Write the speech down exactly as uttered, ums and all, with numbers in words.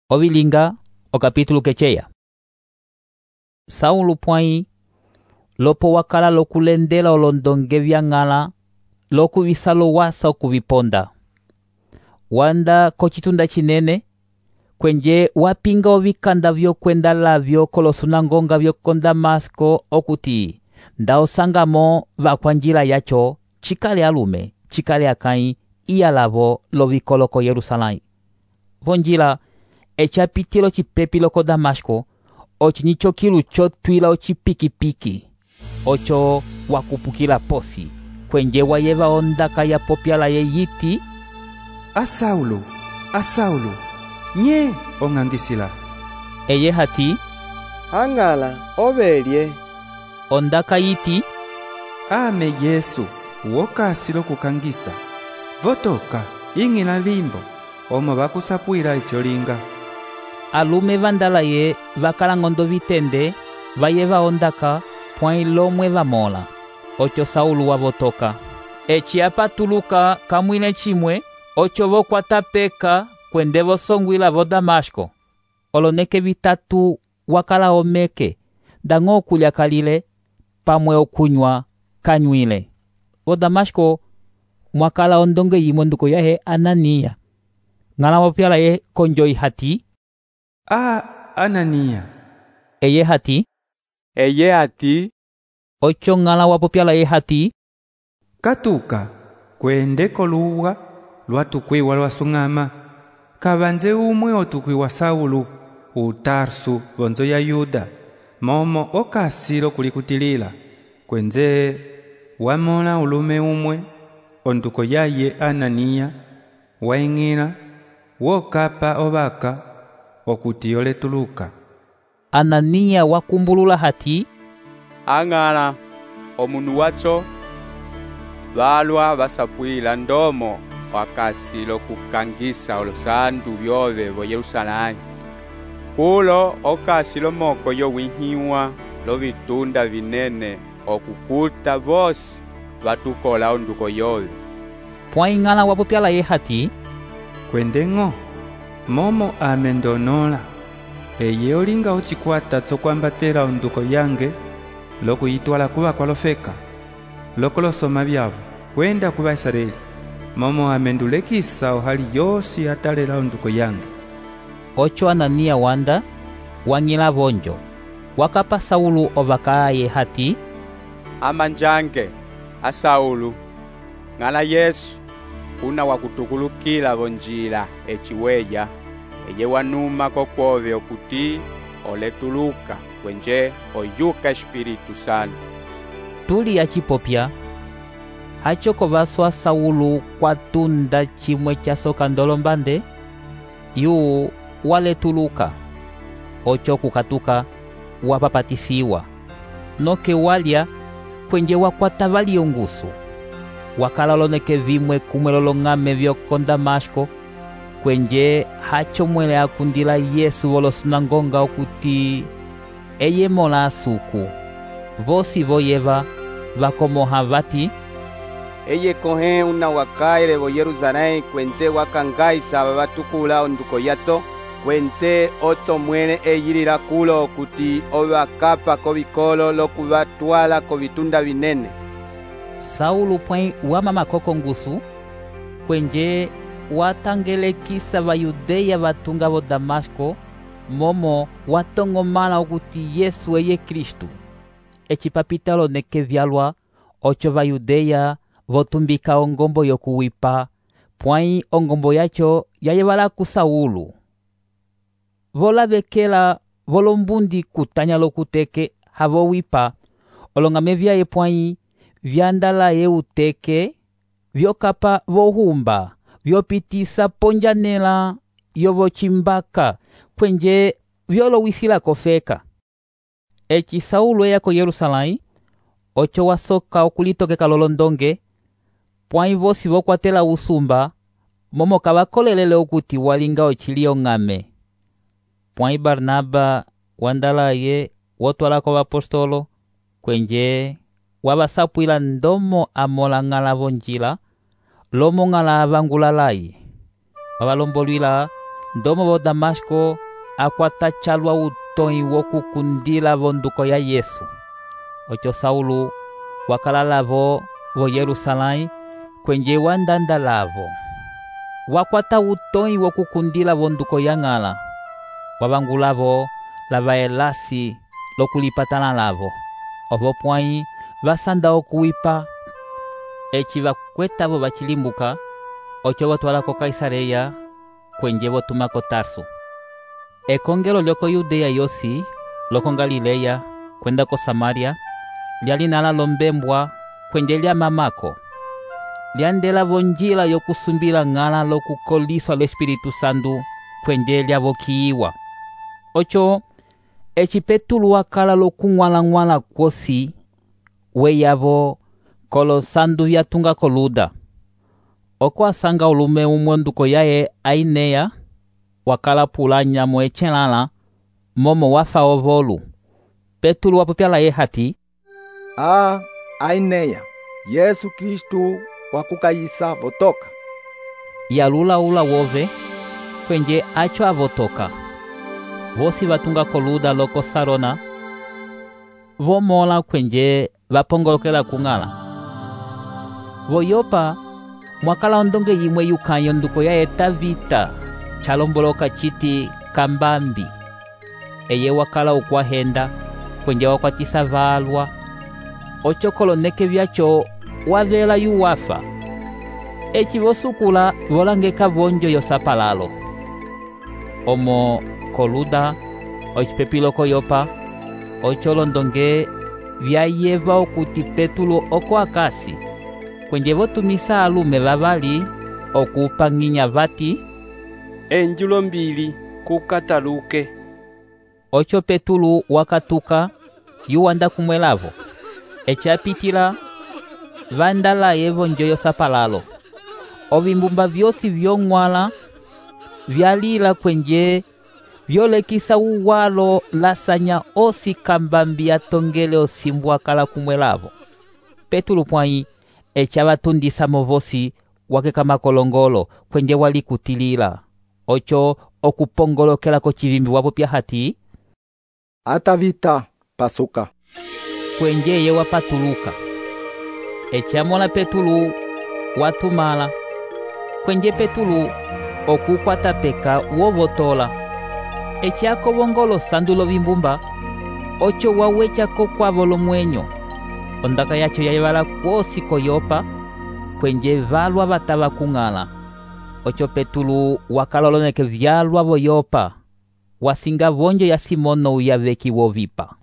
Ovilinga, o capítulo quecheya. Saulo pwãyi, lopo wakala lokulendela olondonge vyang'ala, lokuvisa wasa okuviponda. Wanda kocitunda cinene, kwenje wapinga ovikanda vyokwenda lavyo kolosunangonga vyoko Damasko okuti nda osangamo vakwanjila yacho, cikale alume, cikale akãyi, iya lavo lovikoloko Yerusalãyi. Vonjila, echapitilo cipepi loko Damasko, ocinicho kilu chotwila ocipikipiki, ocho wakupukila posi, kwenje wayeva ondaka ya popyala ye yiti, A Saulo, a Saulo, nye ong'angisila. Eye hati, Ang'ala, ovelye. Ondaka yiti, Ame Yesu, wokasilo kukangisa. Votoka, ing'ila vimbo, omo vakusapuila icyolinga. Alume vandala ye vakalang'ondo vitende, vayeva ondaka, pwãyi lomwe vamola. Ocho Saulo wavotoka. Eci apatuluka kamwine cimwe, ocho vokwata peka kwende vosongwila vo Damasko. Oloneke vitatu wakala omeke, dang'o okulya kalile, pamwe okunywa kanywile. Vo Damasko mwakala ondonge yimwe nduko yahe Anania. Ng'ala wopyala ye konjo ihati, A Anania. Eye hati, Eye hati, ocho ng'ala wapopyala ye hati, Katuka, kwende koluwa, lwatukwiwa lwasung'ama. Kavanze umwe otukwiwa Saulo, utarsu vonzo ya Yuda, momo okasilo kulikutilila. Kwenze wamola ulume umwe, onduko yaye Anania, waing'ila, wokapa ovaka, okuti oletuluka. Anania wakumbulula hati, Ang'ala, omunu wacho, valwa vasapwila ndomo wakasilo kukangisa olosandu vyove vo Yerusalãyi. Kulo okasilo moko yowihiwa lovitunda vinene okukuta vosi vatukola onduko yove. pwãyi ng'ala wapopyala ye hati, Kwendeng'o, momo amendonola, eye olinga ocikwata tsokwambatela onduko yange, lokuyitwala kuva kwalofeka, lokolosoma vyavo, kwenda kuva Israeli, momo amendulekisa ohali yosi atalela onduko yange. ocho Anania wanda, wang'ila vonjo. Wakapa Saulo ovaka ye hati, Amanjange, a Saulo, ng'ala Yesu, una wakutukulukila vonjila eciweya, eye wanuma kokwove okuti oletuluka, kwenje oyuka Espiritu Santo. tuli acipopya, hacho kovaswa Saulo kwatunda cimwe casoka ndolombande, yu waletuluka. Ocho kukatuka, wapapatisiwa. Noke walya, kwenje wakwata valiongusu. Wakala loneke vimwe kumwe lolong'ame vyoko Damasko, kwenje hacho mwele akundila Yesu volosunangonga okuti eye mola asuku. Vosi voyeva vakomoha vati, eye kohe una wakaile vo Yerusalãyi kwenze wakangaisa vatukula onduko yato, kwenze oto mwene eyilila kulo okuti ovakapa kovikolo lokuvatwala kovitunda vinene. Saulo pwãyi wamama koko ngusu, kwenje watangelekisa vayudeya vatunga vo Damasko, momo watong'omala okuti Yesu eye Kristu. Eci papita loneke vyalwa, ocho vayudeya votumbika ongombo yokuwipa, pwãyi ongombo yacho yayevala ku Saulo. Volavekela volombundi kutanya lokuteke havowipa, olong'ame vyaye pwãyi vyandala ye uteke, vyokapa vohumba, vyopitisa ponjanela yovocimbaka, kwenje vyolowisila kofeka. Eci Saulo eya ko Yerusalãyi, ocho wasoka okulitokeka lolondonge, pwãyi vosi vokwatela usumba, momo kavakolelele okuti walinga ocili ong'ame. Pwãyi Barnaba wandala ye wotwalako vapostolo, kwenje wavasapwila ndomo amola ng'ala vonjila, lomo ng'ala avangulalayi. Wavalombolwila ndomo vo Damasco akwata chalwa utõyi wokukundila vonduko ya Yesu. Ocho Saulo wakala lavo vo Yerusalém kwenje wandanda lavo. Wakwata utõyi wokukundila vonduko ya ng'ala. Wavangulavo lava elasi lokulipatana lavo. Ovo pwãyi vasanda okuwipa. Eci vakwetavo vacilimbuka, oco votwala ko Kaisareya kwenje votuma ko Tarso. Ekongelo lyoko Yudeya yosi, loko Galileya, kwenda ko Samaria, lyalinala lombembwa kwenje lya mamako. Lyandela vonjila yokusumbila ng'ala lokukoliswa l'Espiritu Santu kwenje lyavokiyiwa. Ocho, eci Petulu wakala lokung'wala-ng'wala kwosi, weyavo kolo sandu vyatunga ko Luda. Oko asanga ulume umonduko yaye Aineya, wakala pula nyamo echelala, momo wafa ovolu. Petulu wapopya laye hati, "Ah, Aineya, Yesu Kristu wakukayisa votoka." Yalula ula wove, kwenje acho avotoka. Vosi vatunga ko Luda loko Sarona, vomola kwenje vapongolokela kung'ala. Voyopa, mwakala ondonge yimwe yukanyo nduko yaye Tabita, chalomboloka chiti Kambambi. Eye wakala ukwahenda, kwenje wakwatisa valwa. Ocho koloneke vyacho wavela yuwafa. Eci vosukula volangeka vonjo yosapalalo. Omo koluda, ocipepilo koyopa, ocho londonge vyayeva okuti Petulu oko akasi. Kwenje votumisa alume vavali okupanginya vati, "Enjulo mbili kukataluke." Ocho Petulu wakatuka yuwanda kumwelavo. Eci apitila vandala yevo njo yosapalalo. Ovimbumba vyosi vyong'wala vyalila kwenje vyolekisa uwalo lasanya osi Kambambi atongele osimbu akala kumwelavo. Petulu pwãyi eci avatundisa movosi wakeka makolongolo kwenje walikutilila. Ocho okupongolokela ko civimbi wapopya hati, "Atavita, pasuka." Kwenje ye wapatuluka. Eci amola Petulu watumala. Kwenje Petulu okukwata peka wovotola. Eci akovongolo sandu lovimbumba, ocho wawechako kwavo lomwenyo. Ondaka yacho yayevala kwosi koyopa, kwenje valwa vatava kung'ala. Ocho Petulu wakaloloneke vyalwa voyopa, wasinga vonjo ya Simono uyaveki wovipa.